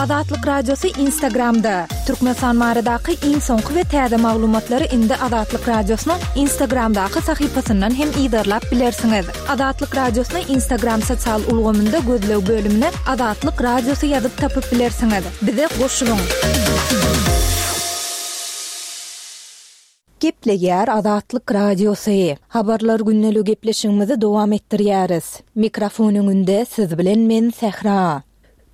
Azatlyk Radiosy Instagramda! Türkmenistan baradaky iň soňky we täze maglumatlary indi Azatlyk Radiosynyň Instagramdaky sahypasyndan hem yzarlap bilersiňiz. Azatlyk Radiosyny Instagram sosial ulgamynda gözleg bölümine Azatlyk Radiosy ýazyp tapyp bilersiňiz. Bize goşulyň! Gepleýär Azatlyk Radiosy. Habarlar gündeligi gepleşigimizi dowam etdirýäris. Mikrofon öňünde siz bilen men Sähra.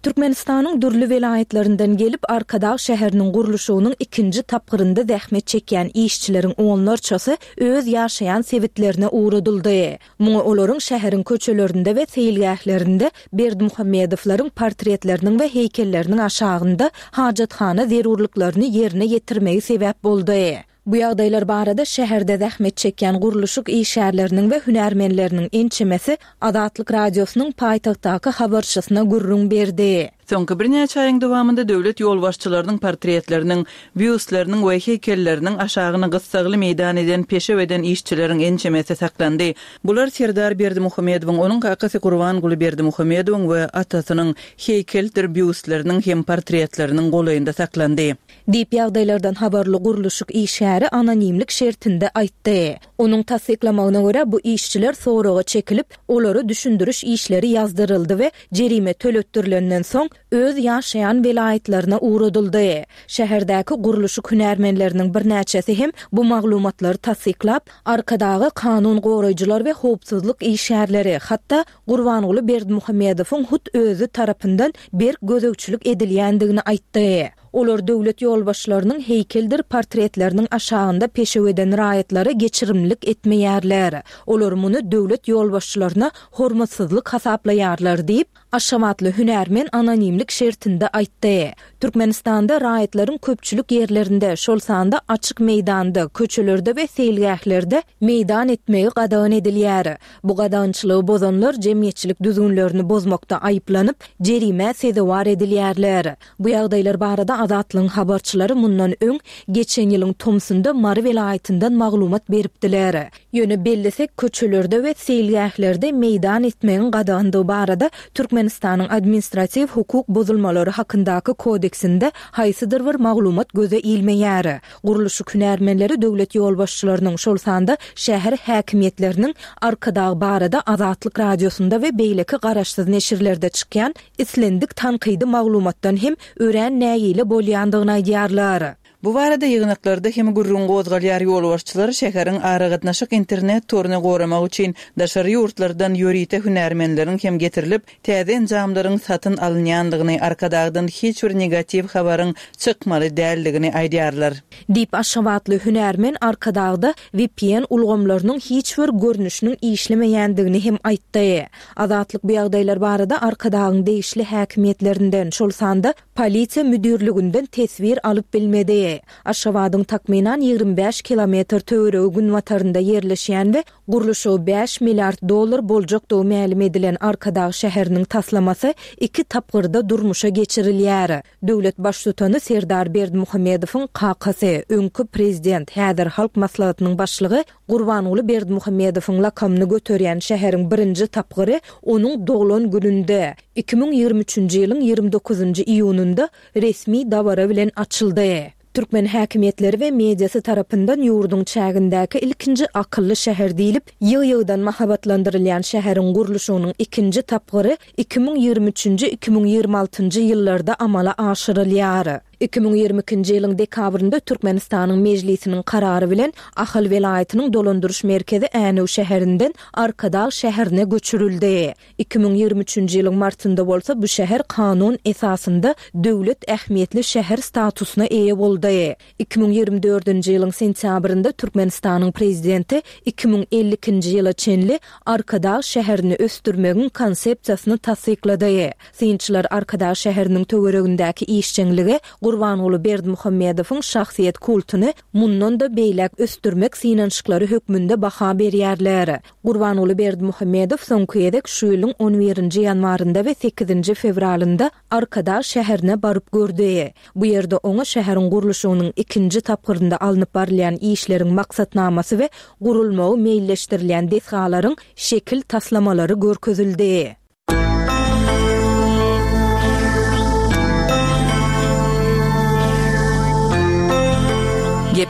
Türkmenistanyň dürli welaýatlaryndan gelip, Arkadag şäheriniň gurluşygynyň ikinji tapgyrynda zähmet çekýän işçileriň onlarçasy öz ýaşaýan sebitlerine ugradyldy. Muňa olaryň şäheriň köçelerinde we seýilgählerinde Berdimuhamedowlaryň portretleriniň we heýkelleriniň aşagynda hajathana zerurlyklaryny ýerine ýetirmegi sebäp boldy. Bu ýagdaýlar barada şäherde zähmet çekýän gurluşyk işgärleriniň we hünärmenleriniň ençemesi Azatlyk Radiosynyň paýtagtdaky habarçysyna gürrüň berdi. Soňky birnäçe aýyň dowamynda döwlet ýolbaşçylarynyň portretleriniň, býustleriniň we heýkelleriniň aşagyny gyssagly meýdan eden peşew eden işçileriň ençemesi saklandy. Bular Serdar Berdimuhamedowyň, onuň kakasy Gurbanguly Berdimuhamedowyň we atasynyň heýkeldir býustleriniň hem portretleriniň golaýynda saklandy. Diýip, ýagdaýlardan habarly gurluşyk işgäri anonimlik şertinde aýtdy. Onuň tassyklamagyna görä, bu işçiler soraga çekilip, olara düşündiriş işleri ýazdyryldy we jerime töletdirilenden soň, öz ýaşaýan welaýatlaryna ugradyldy. Şäherdäki gurluşyk hünärmenleriniň birnäçesi hem bu maglumatlary tassyklap, Arkadaga kanun goraýjylar we howpsuzlyk işgärleri, hatda Gurbanguly Berdimuhamedowyň hut özi tarapyndan berk gözegçilik edilýändigini aýtdy. Olar döwlet ýolbaşçylarynyň heýkeldir portretleriniň aşagynda peşew eden raýatlara geçirimlilik etmeýärler. Olar muny döwlet ýolbaşçylaryna hormatsyzlyk hasaplaýarlar diýip, aşgabatly hünärmen anonimlik şertinde aýtdy. Türkmenistanda raýatlaryň köpçülik ýerlerinde, şol sanda açyk meýdanda, köçelerde we seýilgählerde meýdan etmegi gadagan edilýär. Bu gadagançylygy bozanlar jemgyýetçilik düzgünlerini bozmakda aýyplanyp, jerimä sezewar edilýärler. Bu ýagdaýlar barada Azatlygyň habarçylary mundan öň, geçen ýylyň tomsunda Mary welaýatyndan maglumat beripdiler. Ýöne bellesek, köçelerde we seýilgählerde meýdan etmegiň gadagandygy barada Türkmenistanyň Administratiw hukuk bozulmalary hakyndaky kodeksinde haýsydyr bir maglumat göze ilmeýär. Gurluşyk hünärmenleri döwlet ýolbaşçylarynyň, şol sanda şäher häkimiýetleriniň Arkadag barada Azatlyk Radiosynda we beýleki garaşsyz neşirlerde çykýan islendik tankydy maglumatdan hem örän nägile bolýandygyny aýdýarlar. Bu barada ýygnaklarda hem gürrüň gozgalýar, ýolbaşçylar şäheriň aragatnaşyk internet toruny goramak üçin daşary ýurtlardan ýörite hünärmenleriň hem getirilip, täze enjamlaryň satyn alynýandygyny, Arkadagdan hiç bir negatiw habaryň çykmaly däldigini aýdýarlar. Diýip, aşgabatly hünärmen Arkadagda vpn ulgamlarynyň hiç bir görnüşiniň işlemeýändigini hem aýtdy. Azatlyk bu ýagdaýlar barada Arkadagyň degişli häkimiýetlerinden, şol sanda polisiýa müdirliginden teswir alyp bilmedi. Aşgabadyň takmynan 25 kilometr töweregi günbatarynda ýerleşýän we gurluşygy bäş milliard dollar boljakdygy mälim edilen Arkadag şäheriniň taslamasy iki tapgyrda durmuşa geçirilýär. Döwlet Baştutany Serdar Berdimuhamedowyň kakasy, öňki prezident, häzir Halk Maslahatynyň başlygy Gurbanguly Berdimuhamedowyň lakamyny göterýän şäheriň birinji tapgyry onuň doglan gününde, 2023-nji ýylyň 29-njy iýunynda resmi dabara bilen açyldy. Türkmen häkimiýetleri we mediasy tarapyndan ýurduň çägindäki ilkinji akylly şäher diýlip, ýygy-ýygydan mahabatlandyrylýan şäheriň gurluşygynyň ikinji tapgyry 2023-nji, 2026-njy ýyllarda amala aşyrylýar. 2022-nji ýylyň dekabrynda Türkmenistanyň Mejlisiniň karary bilen Ahal welaýatynyň dolandyryş merkezi Änew şäherinden Arkadag şäherine göçürildi. 2023-nji ýylyň martynda bolsa bu şäher kanun esasynda döwlet ähmiýetli şäher statusyna eýe boldy. 2024-nji ýylyň sentýabrynda Türkmenistanyň Prezidenti 2052-nji ýyla çenli Arkadag şäherini ösdürmegiň Konsepsiýasyny tassyklady. Synçylar Arkadag şäheriniň töweregindäki işjeňlige Gurbanguly Berdimuhamedowyň şahsyýet kultuny mundan-da beýläk ösdürmek synanyşyklary hökmünde baha berýärler. Gurbanguly Berdimuhamedow soňky gezek şu ýylyň on birinji ýanwarynda we sekizinji fewralynda Arkadag şäherine baryp gördi. Bu ýerde oňa şäheriň gurluşygynyň ikinji tapgyrynda alnyp barylýan işleriň maksatnamasy we gurulmagy meýilleşdirilýän desgalaryň şekil taslamalary görkezildi.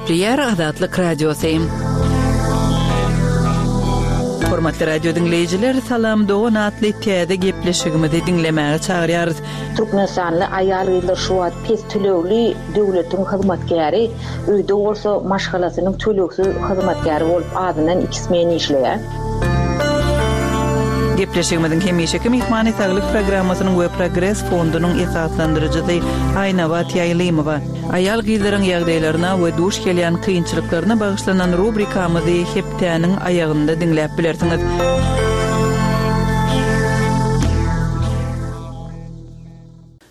Gepleýär Azatlyk Radiosy. Hormatly radio diňleýjiler, Salam dogan atly täze gepleşigimizi diňlemäge çagyrýarys. Türkmenistanly aýal-gyzlar şu wagt pes tölegli döwletiň hyzmatkäri, öýde bolsa maşgalasynyň tölegsiz hyzmatkäri bolup azyndan iki smen işleýär. Gepleşigimiziň hemişeki myhmany Saglyk programmasynyň we Progres fondunyň esaslandyryjysy Aýnabat Ýaýlymowa. Aýal-gyzlaryň ýagdaýlaryna we duş gelýän kynçylyklaryna bagyşlanan rubrikamyzy hepdäniň aýagynda diňläp bilersiňiz.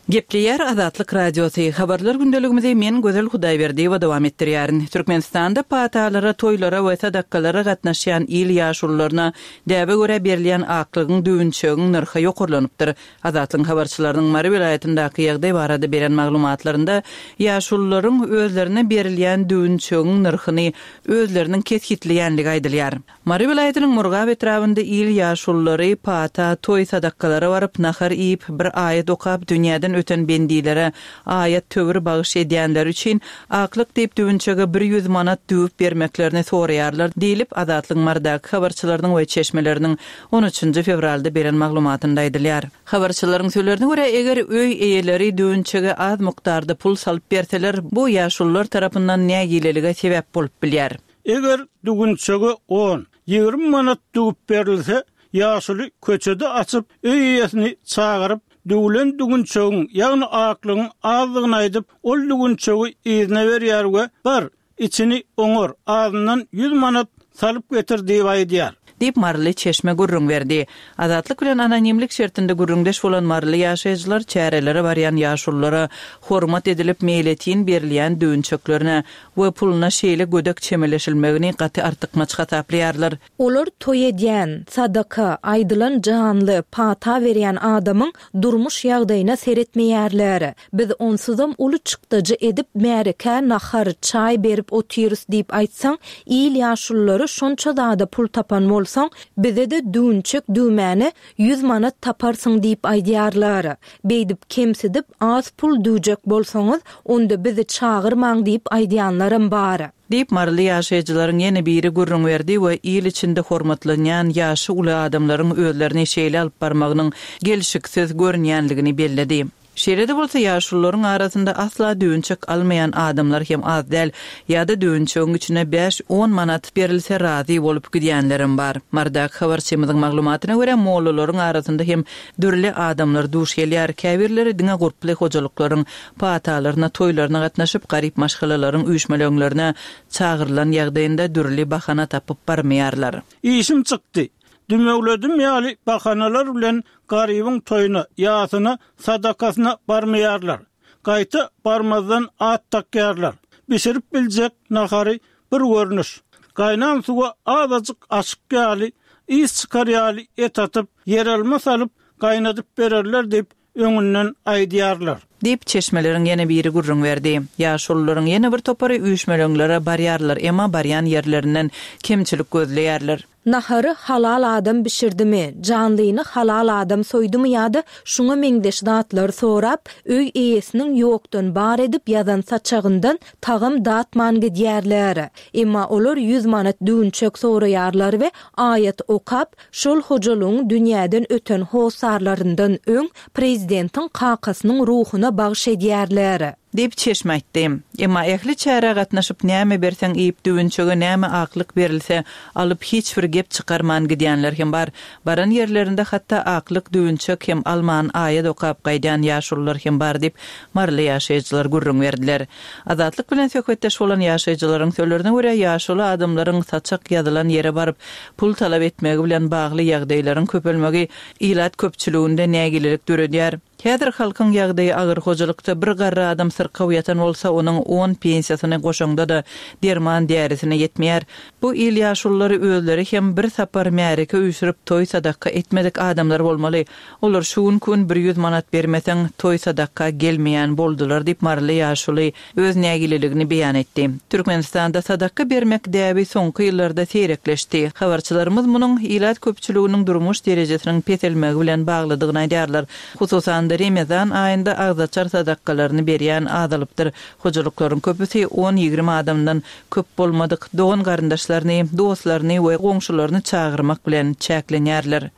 Gepleýär Azatlyk Radiosy, Habarlar gündeligimizi men Gözel Hudaýberdiýewa dowam etdirýärin. Türkmenistanda patalara, toýlara we sadakalara gatnaşýan il ýaşulularyna däbe görä berilýän aklygyň, düwünçegiň nyrhy ýokarlanypdyr. Azatlygyň habarçylarynyň Mary welaýatyndaky ýagdaý barada beren maglumatlarynda ýaşulularyň özlerine berilýän düwünçegiň nyrhyny özleriniň kesgitleýänligi aýdylýar. Mary welaýatynyň Murgap etrabynda il ýaşululary pata, toý sadakalara baryp, nahar iýip, bir aýat okap, dünýäden öten bendilere aýat-töwir bagyş edýänleri üçin aklyk diýip düwünçege bir ýüz manat düwüp bermeklerini soraýarlar diýlip, Azatlygyň Marydaky habarçylarynyň we çeşmeleriniň on üçünji fewralda beren maglumatynda aýdylýar. Habarçylaryň sözlerine görä, eger öý eýeleri düwünçege az mukdarda pul salyp berseler, bu ýaşulular tarapyndan nägilelige sebäp bolup bilýär. Eger düwünçege on, 20 manat düwüp berilse, ýaşuly köçede açyp, öý eýesini çagyryp, düwlen düwünçegiň, ýagny aklygyň azdygyny aýdyp, ol düwünçegi yzyna berýär we Bar, içini oňar, azyndan ýüz manat salyp getir diýip aýdýar. Diýip, maryly çeşme gürrüň berdi. Azatlyk bilen anonimlik şertinde gürrüňdeş bolan maryly ýaşaýjylar çärelere barýan ýaşululara hormat edilip meýletin berilýän düwünçeklerine we puluna şeýle gödek çemeleşilmegini gaty artykmaç hasaplaýarlar. Olar toý edýän, sadaka, aýdylan janly, pata berýän adamyň durmuş ýagdaýyna seretmeýärler. Biz onsuzam uly çykdajy edip märekä nahar, çaý berip otyrys diýip aýtsaň, il ýaşululary şonça zada pul tapan bolsaň, bize-de düwünçek düwmäne ýüz manat taparsyň diýip aýdýarlar. Beýdip kemsidip az pul düwjek bolsaňyz, onda bizi çagyrmaň diýip aýdýanlaram bar. Diýip, maryly ýaşaýjylaryň ýene biri gürrüň berdi we il içinde hormatlanýan ýaşy uly adamlaryň özlerini şeýle alyp barmagynyň gelşiksiz görünýänligini belledi. Şeýle-de bolsa, ýaşulularyň arasynda asla düwünçek almaýan adamlar hem az däl, ýa-da düwünçegiň içine bäş-on manat berilse razy bolup gidýänlerem bar. Marydaky habarçymyzyň maglumatyna görä, mollalaryň arasynda hem dürli adamlar duş gelýär, käbirleri diňe gurply hojalyklaryň patalaryna, toýlaryna gatnaşyp, garyp maşgalalaryň üýşmeleňlerine çagyrylan ýagdaýynda dürli bahana tapyp barmaýarlar. Işim çykdy, dümewledim ýaly bahanalar bilen garybyň toýuna, ýasyna, sadakasyna barmaýarlar. Gaýta barmazdan at dakýarlar. Bişirip biljek nahary bir görnüş. Gaýnan suwa azajyk aşyk ýaly, ys çykar ýaly et atyp, ýeralma salyp gaýnadyp bererler diýip, öňünden aýdýarlar. Diýip, çeşmeleriň ýene biri gürrüň berdi. Ýaşulularyň ýene bir topary üýşmeleňlere barýarlar, emma barýan ýerlerinden kemçilik gözleýärler. Nahary halal adam bişirdimi, janlyny halal adam soýdumy ýa-da şuňa meňzeş zatlary sorap, öý eýesiniň ýokdan bar edip ýazan saçagyndan tagam datman gidýärler. Emma olar ýüz manat düwünçek soraýarlar we aýat okap, şol hojalygyň dünýäden öten hossarlaryndan öň prezidentiň kakasynyň ruhuna bagyş edýärler. Diýip, çeşme aýtdy. Emma ähli çärä gatnaşyp, näme berseň iýip, düwünçege näme aklyk berilse, alyp, hiç bir gep çykarman gidýänler hem bar. Baran ýerlerinde hatda aklyk, düwünçek hem alman, aýat okap gaýdýan ýaşulular hem bar diýip, maryly ýaşaýjylar gürrüň berdiler. Azatlyk bilen söhbetdeş bolan ýaşaýjylaryň sözlerine görä, ýaşuly adamlaryň saçak ýazylan ýere baryp, pul talap etmegi bilen bagly ýagdaýlaryň köpelmegi ilat köpçüliginde nägilelik döredýär. Häzir halkyň ýagdaýy agyr, hojalykda bir garry adam syrkaw ýatan bolsa, onuň on pensiýasyny goşaňda-da, derman-därisine ýetmeýär. Bu il ýaşululary özleri hem bir sapar märeke üýşürip toý-sadaka etmedik adamlar bolmaly. Olar şu günki gün bir ýüz manat bermeseň, toý-sadaka gelmeýän boldular diýip, maryly ýaşuly öz nägileligini beýan etdi. Türkmenistanda sadaka bermek däbi soňky ýyllarda seýrekleşdi. Habarçylarymyz munuň ilat köpçüliginiň durmuş derejesiniň peselmegi bilen baglydygyny aýdýarlar. Hususan-da. sanda Remezan aýynda agzaçar sadakalaryny berýän azalypdyr. Hojalyklaryň köpüsi on-ýigrimi adamdan köp bolmadyk dogan-garyndaşlaryny, dostlaryny we goňşularyny çagyrmak bilen çäklenýärler.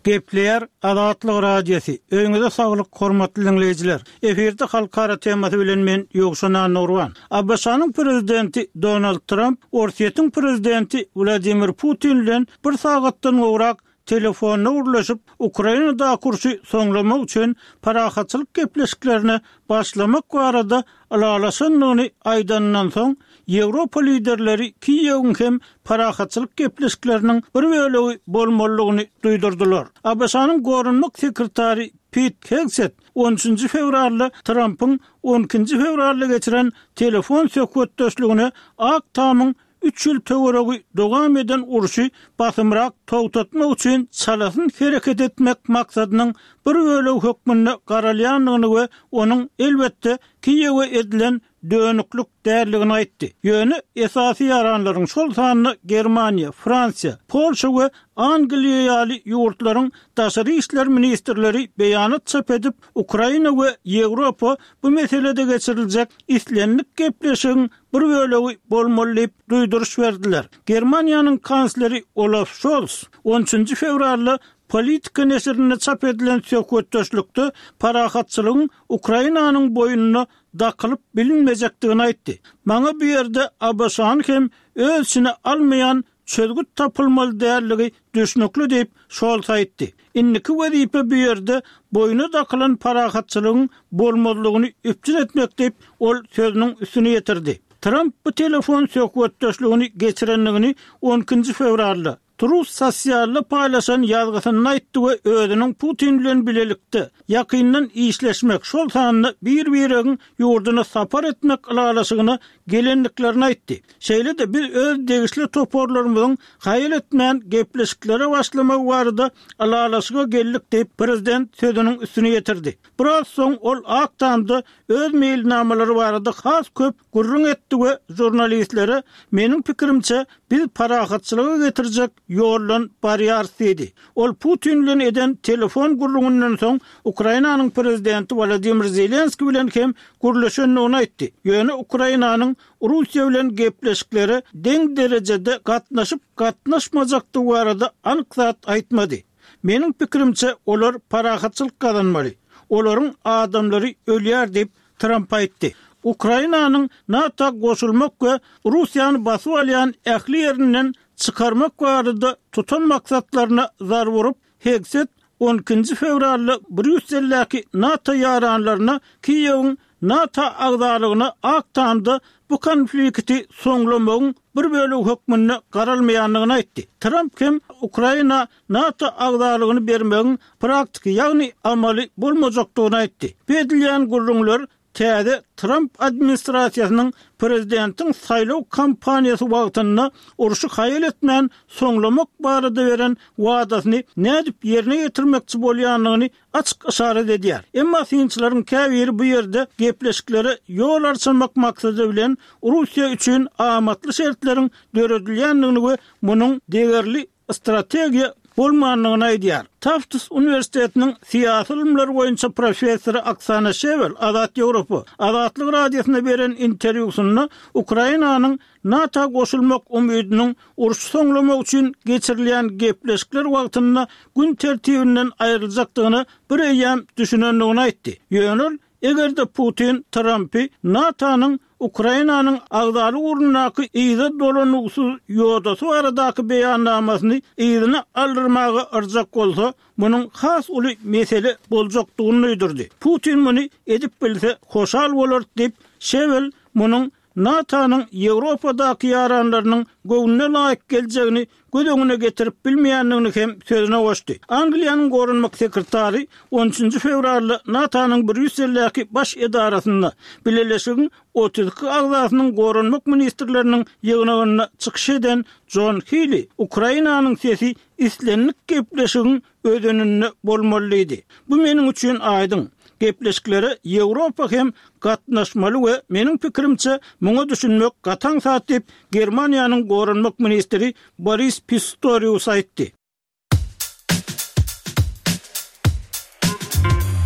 Gepleýär Azatlyk Radiosy, Öýüňize saglyk hormatly diňleýjiler! Efirde halkara temasy bilen men Ýowşan Annagurban. ABŞ-nyň Prezidenti Donald Tramp Orsýetiň Prezidenti Wladimir Putin bilen bir sagatdan gowrak telefonda gürleşip, Ukrainadaky urşy soňlamak üçin parahatçylyk gepleşiklerine başlamak barada ylalaşandygyny aýdanyndan soň, Ýewropa liderleri Kiýewiň hem parahatçylyk gepleşikleriniň bir bölegi bolmalydygyny duýdurdylar. ABŞ-nyň goranmak sekretary Pit Hegset on üçünji fewralda Trampyň on ikinji fewralda geçiren telefon söhbetdeşligine Ak Tamyň üç ýyl töweregi dowam eden urşy basymrak togtatmak üçin çalasyn hereket etmek maksadynyň bir bölegi hökmünde garalýandygyny we onuň, elbetde, Kiýewe edilen dönüklik däldigini aýtdy. Ýöne esasy ýaranlaryň, şol sanda Germaniýa, Fransiýa, Polşa we Angliýa ýaly ýurtlaryň daşary işler ministrleri beýanat çap edip, Ukraina we Ýewropa bu meselede geçiriljek islendik gepleşigiň bir bölegi bolmaly diýip duýduryş berdiler. Germaniýanyň kansleri Olaf Şols on üçünji fewralda Politika neşirinde çap edilen söhbetdeşlikde parahatçylygyň Ukrainanyň boýnuna dakylyp bilinmejekdigini aýtdy. Maňa bu ýerde ABŞ-ny hem öz içine almaýan çözgüt tapylmaly däldigi düşnükli diýip, Şols aýtdy. Indiki wezipe bu ýerde boýna dakylan parahatçylygyň bolmazlygyny üpjün etmek diýip, ol sözüniň üstüni ýetirdi. Tramp bu telefon söhbetdeşligini geçirendigini on ikinji fewralda, Truth Socialda paýlaşan ýazgysynda aýtdy we özüniň Putin bilen bilelikde ýakyndan işleşmek, şol sanda bir-biregiň ýurduna sapar etmek ylalaşygyna gelendiklerini aýtdy. Şeýle-de biz öz degişli toparlarymyzyň haýal etmän gepleşiklere başlamagy barada ylalaşyga geldik diýip, prezident sözüniň üstüni ýetirdi. Biraz soň ol Ak Tamda öz meýilnamalary barada has köp gürrüň etdi we žurnalistlere Meniň pikirimçe, biz parahatçylyga getirjek ýoldan barýarys diýdi. Ol Putin bilen eden telefon gürrüňinden soň Ukrainanyň prezidenti Wolodymyr Zelenskiý bilen hem gürleşendigini aýtdy. Ýöne Ukrainanyň Russiýa bilen gepleşiklere deň derejede gatnaşyp-gatnaşmajakdygy barada anyk zat aýtmady. Meniň pikirimçe, olar parahatçylyk gazanmaly. Olaryň adamlary ölýär diýip, Tramp aýtdy. Ukrainanyň NATO goşulmak we Russiýany basyp alýan ähli ýerinden çykarmak barada tutan maksatlaryna zarba urup, Hegset on ikinji fewralda Brýusseldäki NATO ýaranlaryna Kiýewiň NATO agzalygyna Ak Tamda bu konflikti soňlamagyň bir bölegi hökmünde garalmaýandygyny aýtdy. Tramp hem Ukraina NATO agzalygyny bermegiň praktiki, ýagny amaly bolmajakdygyny aýtdy. Bu edilýän gürrüňler täze Tramp administrasiýasynyň prezidentiň saýlaw kampaniýasy wagtynda urşy haýal etmän soňlamak barada beren wadasyny nädip ýerine ýetirmekçi bolýandygyny açyk yşarat edýär. Emma synçylaryň käbiri bu ýerde gepleşiklere ýol arçamak maksady bilen Russiýa üçin amatly şertleriň döredilýändigini we munuň degerli strategiýa bolmandygyny aýdýar. Tafts uniwersitetiniň syýasy ylymlar boýunça professory Oksana Şewel Azat Ýewropa, Azatlyk Radiosyna beren interwýusynda Ukrainanyň NATO goşulmak umydynyň urşy soňlamak üçin geçirilýän gepleşikler wagtynda gün tertibinden aýryljakdygyna bir eýýäm düşünendigini aýtdy. Ýöne ol Eger-de Putin Trampy NATO-nyň Ukrainanyň agzalyk ugrundaky yza dolanuwsyz ýodasy baradaky beýannamasyny yzyna aldyrmaga yrjak bolsa, munuň has uly mesele boljakdygyny duýdurdy. Putin muny edip bilse, hoşal bolarys diýip, Şewel munuň NATO-nyň Ýewropadaky ýaranlarynyň göwnüne laýyk geljegini göz öňüne getirip bilmeýändigini hem sözüne goşdy. Angliýanyň goranmak sekretary on üçünji fewralda NATO-nyň Brýusseldäki baş edarasynda Bileleşigiň 32 agzasynyň goranmak ministrleriniň ýygnagynda çykyş eden Jon Hili Ukrainanyň sesi islendik gepleşigiň özeninde bolmaly diýdi. Bu meniň üçin aýdyň. Gepleşiklere Ýewropa hem gatnaşmaly we meniň pikirimçe, muňa düşünmek gaty aňsat diýip, Germaniýanyň goranmak ministri Boris Pistorius aýtdy.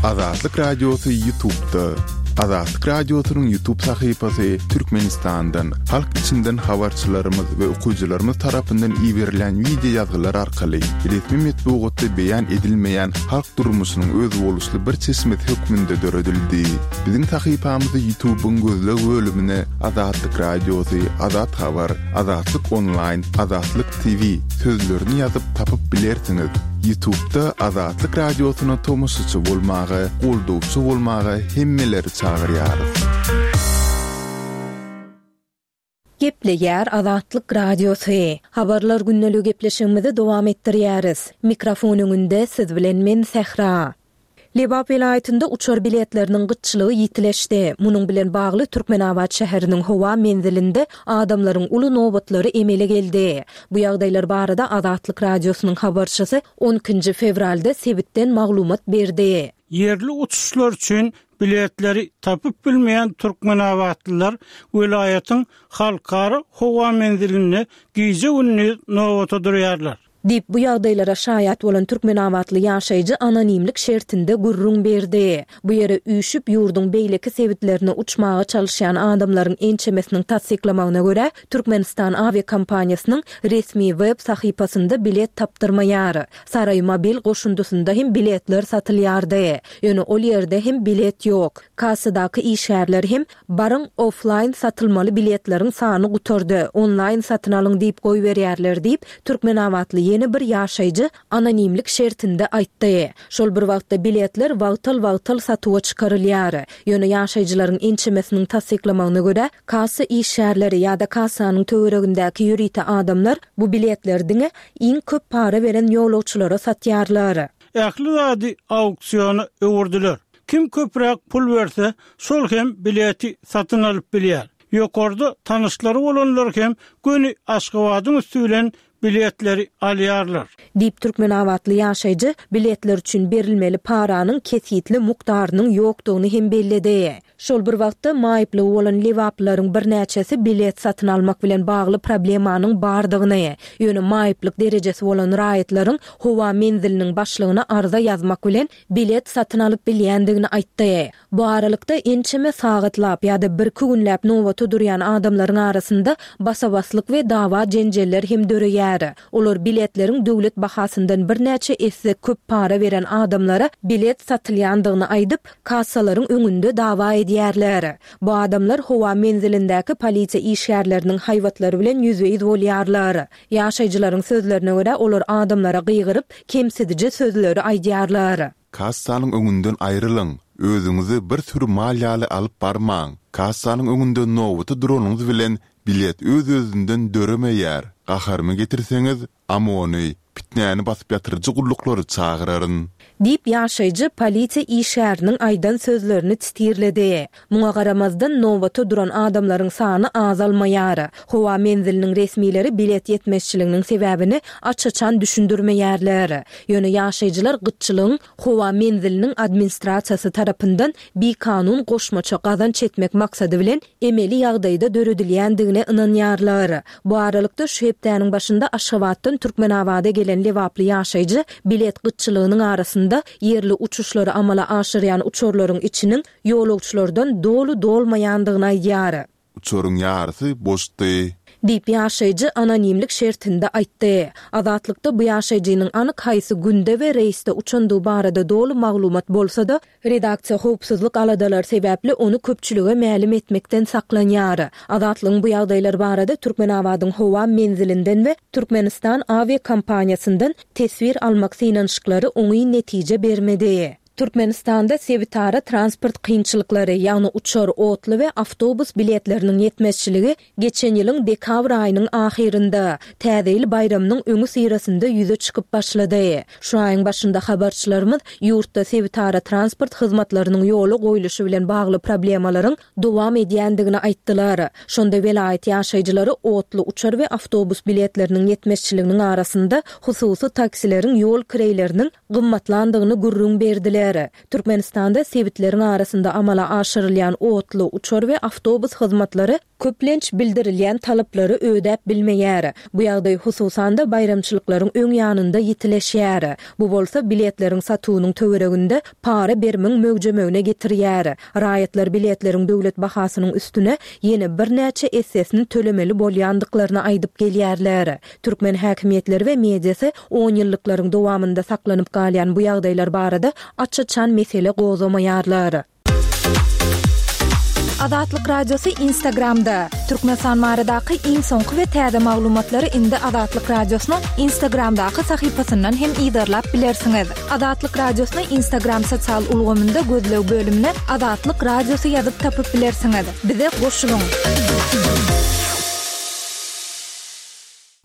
Azatlyk Radiosy Ýutubda. Azatlyk Radiosynyň Ýutub sahypasy Türkmenistandan, halk içinden habarçylarymyz we okyjylarymyz tarapyndan iberilen wideo ýazgylar arkaly resmi metbugatda beýan edilmeýän halk durmuşynyň özboluşly bir çeşmesi hökmünde döredildi. Biziň sahypamyzy Ýutubyň gözleg bölümine Azatlyk Radiosy, Azat Habar, Azatlyk Onlaýn, Azatlyk TV sözlerini ýazyp tapyp bilersiňiz. Ýutubda Azatlyk Radiosyna tomaşaçy bolmaga, goldawçy bolmaga hemmeleri çagyrýarys. Gepleýär Azatlyk Radiosy. Habarlar gündeligi gepleşigimizi dowam etdirýäris. Mikrofon öňünde siz bilen men Sähra. Lebap welaýatynda uçar biletleriniň gytçylygy ýitileşdi. Munuň bilen bagly Türkmenabat şäheriniň howa menzilinde adamlaryň uly nobatlary emele geldi. Bu ýagdaýlar barada Azatlyk Radiosynyň habarçysy on ikinji fewralda sebitden maglumat berdi. Ýerli uçuşlar üçin biletleri tapyp bilmeýän türkmenabatlylar welaýatyň Halkara howa menzilinde gije-gündiz nobata durýarlar. Diýip, bu ýagdaýlara şaýat bolan türkmenabatly ýaşaýjy anonimlik şertinde gürrüň berdi. Bu ýere üýşüp, ýurduň beýleki sebitlerine uçmaga çalyşýan adamlaryň ençemesiniň tassyklamagyna görä, Türkmenistan awiakompaniýasynyň resmi web sahypasynda bilet tapdyrmaýar. Saraý mobil goşundysynda hem biletler satylýardy. Ýöne ol ýerde hem bilet ýok. Kassadaky işgärler hem Baryň, oflaýn satylmaly biletleriň sany gutardy, onlaýn satyn alyň diýip goýberýärler diýip, türkmenabatly ýene bir ýaşaýjy anonimlik şertinde aýtdy. Şol bir wagtda biletler wagtal-wagtal satuwa çykarylýar. Ýöne ýaşaýjylaryň ençemesiniň tassyklamagyna görä, kassa işgärleri ýa-da kassanyň töweregindäki ýörite adamlar bu biletleri diňe iň köp para beren ýolagçylara satýarlar. Ähli zady auksiona öwürdiler. Kim köpräk pul berse, şol hem bileti satyn alyp bilýär. Ýokarda tanyşlary bolanlar hem göni Aşgabadyň üsti bilen biletleri alýarlar. Diýip, türkmenabatly ýaşaýjy biletler üçin berilmeli paranyň kesgitli mukdarynyň ýokdugyny hem belledi. Şol bir wagtda, maýyplygy bolan lebaplylaryň birnäçesi bilet satyn almak bilen bagly problemanyň bardygyny, ýöne maýyplyk derejesi bolan raýatlaryň howa menziliniň başlygyna arza ýazmak bilen bilet satyn alyp bilýändigini aýtdy. Bu aralykda, ençeme sagatlap ýa-da birki günläp nobata durýan adamlaryň arasynda basa-baslyk we dawa-jenjeller hem döreýär. Olar biletleriň döwlet bahasyndan birnäçe esse köp para beren adamlara bilet satylýandygyny aýdyp, kassalaryň öňünde dawa edýärler. Bu adamlar howa menzilindäki polisiýa işgärleriniň haýbatlary bilen ýüzbe-ýüz bolýarlar. Ýaşaýjylaryň sözlerine görä, olar adamlara gygyryp, kemsidiji sözleri aýdýarlar. Kassanyň öňünden aýrylyň! Özüňizi bir süri mal ýaly alyp barmaň! Kassanyň öňünde nobata duranyňyz bilen bilet öz-özünden döremeýär. Gaharymy getirseňiz, OMON-y, pitnäni basyp ýatyryjy gulluklary çagyraryn. Diýip, ýaşaýjy polisiýa işgäriniň aýdan sözlerini titirledi. Muňa garamazdan, nobata duran adamlaryň sany azalmaýar. Howa menziliniň resmileri bilet ýetmezçiliginiň sebäbini aç-açan düşündirmeýärler. Ýöne ýaşaýjylar gytçylygyň howa menziliniň administrasiýasy tarapyndan bikanun goşmaça gazanç etmek maksady bilen emeli ýagdaýda döredilýändigine ynanýarlar. Bu aralykda, şu hepdäniň başynda Aşgabatdan Türkmenabada gelen lebaply ýaşaýjy bilet gytçylygynyň arasynda ýerli uçuşlary amala aşyrýan uçarlaryň içiniň ýolagçylardan doly dolmaýandygyny aýdýar. Uçaryň ýarysy boşdy. Diýip, ýaşaýjy anonimlik şertinde aýtdy. Azatlykda bu ýaşaýjynyň anyk haýsy günde we reýsde uçandygy barada doly maglumat bolsa-da, Redaksiýa howpsuzlyk aladalary sebäpli ony köpçülige mälim etmekden saklanýar. Azatlygyň bu ýagdaýlar barada Türkmenabadyň howa menzilinden we Türkmenistan awiakompaniýasyndan teswir almak synanyşyklary oňyn netije bermedi. Türkmenistanda sebitara transport kynçylyklary, ýagny uçar, otly we awtobus biletleriniň ýetmezçiligi Geçen ýylyň dekabr aýynyň ahyrynda, Täze ýyl baýramynyň öňüsyrasynda ýüze çykyp başlady. Şu aýyň başynda habarçylarymyz ýurtda sebitara transport hyzmatlarynyň ýola goýluşy bilen bagly problemalaryň dowam edýändigini aýtdylar. Şonda welaýat ýaşaýjylary otly, uçar we awtobus biletleriniň ýetmezçiliginiň arasynda hususy taksileriň ýol kireýleriniň gymmatlandygyny gürrüň berdiler. gelýärler. Türkmenistanda sebitleriň arasynda amala aşyrylýan otly, uçar we awtobus hyzmatlary köplenç bildirilýän talaplary ödäp bilmeýär. Bu ýagdaý hususan-da baýramçylyklaryň öň ýanynda ýitileşýär. Bu bolsa biletleriň satuwynyň töwereginde para berimiň möwjemegine getirýär. Raýatlar biletleriň döwlet bahasynyň üstüne ýene birnäçe essesini tölemeli bolýandyklaryny aýdyp gelýärler. Türkmen häkimiýetleri we mediasy onýyllyklaryň dowamynda saklanyp galýan bu ýagdaýlar barada aç-açan mesele gozgamaýarlar. Azatlyk Radiosy Instagramda, Türkmenistan baradaky iň soňky we täze maglumatlary indi Azatlyk Radiosynyň Instagramdaky sahypasyndan hem yzarlap bilersiňiz. Azatlyk Radiosyny Instagram sosial ulgamynda gözleg bölümine Azatlyk Radiosy ýazyp tapyp bilersiňiz. Bize goşulyň!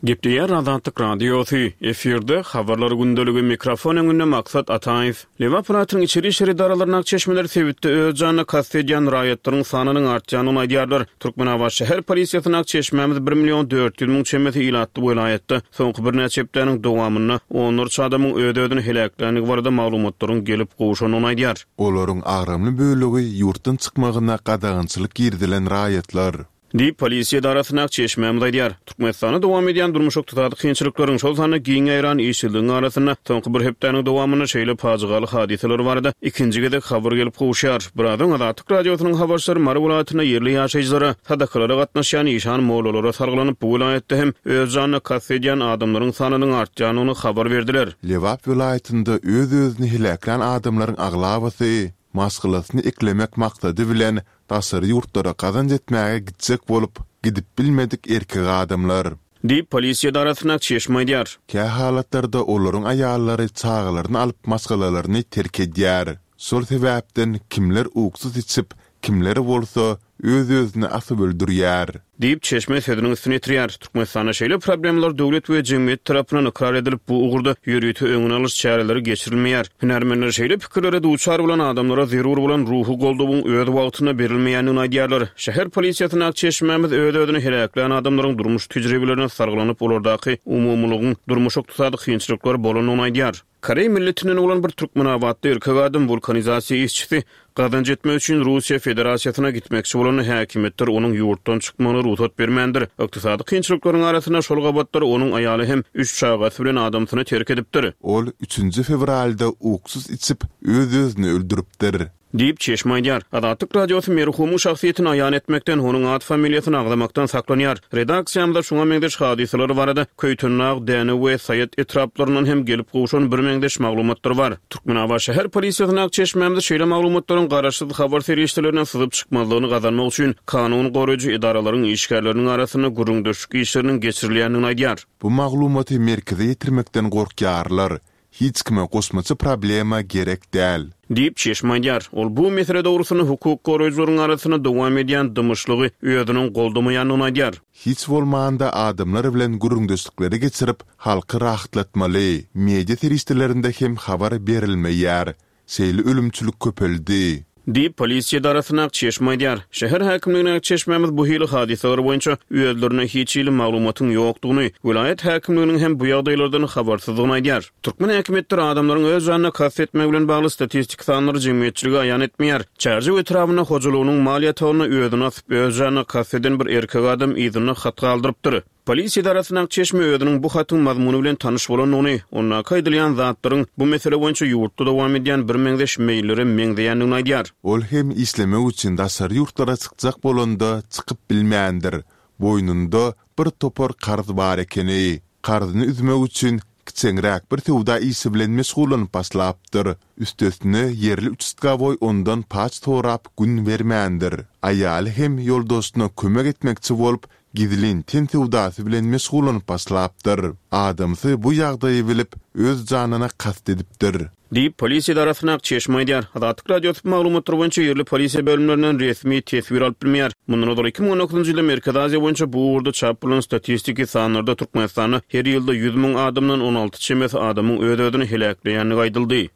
Gepleýär Azatlyk Radiosy, efirde, Habarlar gündeligi, mikrofon öňünde Maksat Ataýew. Lebap welaýatynyň içeri işler edaralaryndaky çeşmeler sebitde öz janyna kast edýän raýatlaryň sanynyň artýandygyny aýdýarlar. Türkmenabat şäher polisiýasyndaky çeşmämiz bir million 400 müň çemesi ilatly welaýatda soňky birnäçe hepdäniň dowamynda onlarça adamyň öz-özüni heläkländigi barada maglumatlaryň gelip gowşandygyny aýdýar. Olaryň agramly bölegi ýurtdan çykmagyna gadagançylyk girizilen raýatlar. Diýip, polisiýa edarasyndaky çeşmämiz aýdýar. Türkmenistanda dowam edýän durmuş-ykdysady kynçylyklaryň, şol sanda giň ýaýran işsizligiň arasynda soňky bir hepdäniň dowamynda şeýle pajygaly hadysalar barada ikinji gezek habar gelip gowuşýar. Biraz öň Azatlyk Radiosynyň habarçylary Mary welaýatynda ýerli ýaşaýjylara, sadakalara gatnaşýan işan-mollalara salgylanyp, bu welaýatda hem öz janyna kast edýän adamlaryň sanynyň artýandygyny habar berdiler. Lebap welaýatynda öz-özüni heläklän adamlaryň aglabasy maşgalasyny eklemek maksady bilen daşary ýurtlara gazanç etmäge gitjek bolup, gidip bilmedik erkek adamlar. Diýip, polisiýa edarasyndaky çeşme aýdýar. Kähalatlarda olaryň aýallary çagalaryny alyp maşgalalaryny terk edýär. Şol sebäpden kimler uksus içip, kimler bolsa öz-özüni asyp öldürýär. Diýip, çeşme sözüniň üstüni ýetirýär. Türkmenistanda şeýle problemalar döwlet we jemgyýet tarapyndan ykrar edilip, bu ugurda ýörite öňüni alyş çäreleri geçirilmeýär. Hünärmenler şeýle pikirlere duçar bolan adamlara zerur bolan ruhy goldawyň öz wagtynda berilmeýändigini aýdýarlar. Şäher polisiýasyndaky çeşmämiz öz-özüni heläklän adamlaryň durmuş tejribelerine salgylanyp, olardaky umumylygyň durmuş-ykdysady kynçylyklar bolandygyny aýdýar. Koreý milletinden bolan bir türkmenabatly erkek adam wulkanizasiýa işçisi gazanç etmek üçin Russiýa Federasiýasyna gitmekçi bolanda häkimiýetler onuň ýurtdan çykmagyna rugsat bermändir. Ykdysady kynçylyklaryň arasynda şol gabatlar onuň aýaly hem üç çagasy bilen adamsyny terk edipdir. Ol üçünji fewralda uksus içip, öz-özüni öldüripdir. Diýip, çeşme aýdýar. Azatlyk Radiosy merhumyň şahsyýetini aýan etmekden, onuň at-familiýasyny agzamakdan saklanýar. Redaksiýamyza şuňa meňzeş hadysalar barada Köýtendag, Dänew we Saýat etraplaryndan hem gelip gowşan birmeňzeş maglumatlar bar. Türkmenabat şäher polisiýasyndaky çeşmämiz şeýle maglumatlaryň garaşsyz habar serişdelerinden syzyp çykmazlygyny gazanmak üçin kanun goraýjy edaralaryň işgärleriniň arasynda gürrüňdeşlik işleriniň geçirilýändigini aýdýar. Bu maglumaty merkeze ýetirmekden gorkýarlar, Hiç kime goşmaça problema gerek däl. Diýip, çeşme aýdýar. Ol bu mesele dogrusynda hukuk goraýjylaryň arasynda dowam edýän dymyşlygy özüniň goldamaýandygyny aýdýar. Hiç bolmanda adamlar bilen gürrüňdeşlikleri geçirip, halky rahatlatmaly. Media serişdelerinde hem habar berilmeýär. Şeýle ölümçilik köpeldi. Diýip, polisiýa edarasyndaky çeşme aýdýar. Şäher häkimligindäki çeşmämiz bu hili hadysalar boýunça özlerinde hiç hili maglumatyň ýokdugyny, welaýat häkimliginiň hem bu ýagdaýlardan habarsyzdygyny aýdýar. Türkmen häkimiýetleri adamlaryň öz janyna kast etmegi bilen bagly statistiki sanlary jemgyýetçilige aýan etmeýär. Çärjew etrabynda hojalygynyň mal ýatagynda özüni asyp, öz janyna kast eden bir erkek adam yzynda hat galdyrypdyr. Polisiýa edarasyndaky çeşme özüniň bu hatyň mazmuny bilen tanyş bolandygyny, ondaky aýdylýan zatlaryň bu mesele boýunça ýurtda dowam edýän birmeňzeş meýillere meňzeýändigini aýdýar. Ol hem işlemek üçin daşary ýurtlara çykjak bolanda çykyp bilmändir. Boýnunda bir topar karz bar ekeni. Karzyny üzmek üçin kiçeňräk bir söwda işi bilen meşgullanyp başlapdyr. Üstesine ýerli uçastkowoý ondan paç sorap gün bermändir. Aýaly hem ýoldaşyna kömek etmekçi bolup Gizlin ten söwdasy bilen meşgullanyp başlapdyr. Adamsy bu ýagdaýy bilip, öz janyna kast edipdir. Diýip, polisiýa edarasyndaky çeşme aýdýar. Azatlyk Radiosy bu maglumatlar boýunça ýerli polisiýa bölümlerinden resmi teswir alyp bilmeýär. Mundan ozal 2019-njy ýylda Merkezi Aziýa boýunça bu ugurda çap bolan statistiki sanlarda Türkmenistanda her ýylda 100 müň adamdan 16 çemesi adamyň öz-özüni heläkleýändigi aýdyldy.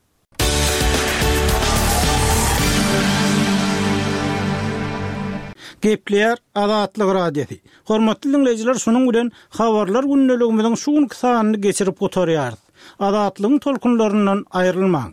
Gepleýär Azatlyk Radiosy. Hormatly diňleýjiler şunuň bilen Habarlar gündeligimiziň şu günki sanyny geçirip gutarýarys. Azatlygyň tolkunlaryndan aýrylmaň.